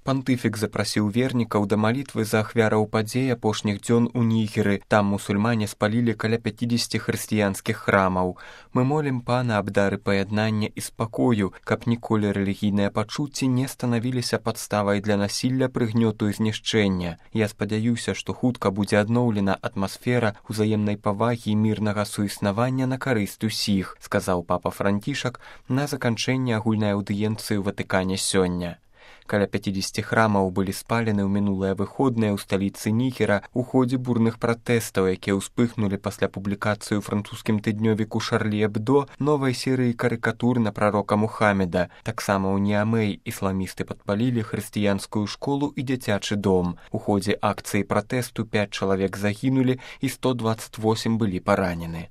Пантыфік запрасіў вернікаў да малітвы за ахвяраў падзей апошніх дзён у Нігеры. Там мусульмане спалілі каля 50 хрысціянскіх храмаў. Мы молім Пана аб дары паяднання і спакою, каб ніколі рэлігійныя пачуцці не станавіліся падставай для насілля, прыгнёту і знішчэння. Я спадзяюся, што хутка будзе адноўлена атмасфера ўзаемнай павагі і мірнага суіснавання на карысць усіх, сказаў папа Францішак на заканчэнні агульнай аўдыенцыі ў Ватыкане сёння. Каля 50 храмаў былі спалены ў мінулыя выходныя ў сталіцы Нігера ў ходзе бурных пратэстаў, якія ўспыхнулі пасля публікацыі ў французскім тыднёвіку Шарлі Эбдо новай серыі карыкатур на прарока Мухаммеда. Таксама ў Ніамэй ісламісты падпалілі хрысціянскую школу і дзіцячы дом. У ходзе акцыі пратэсту 5 чалавек загінулі і 128 былі паранены.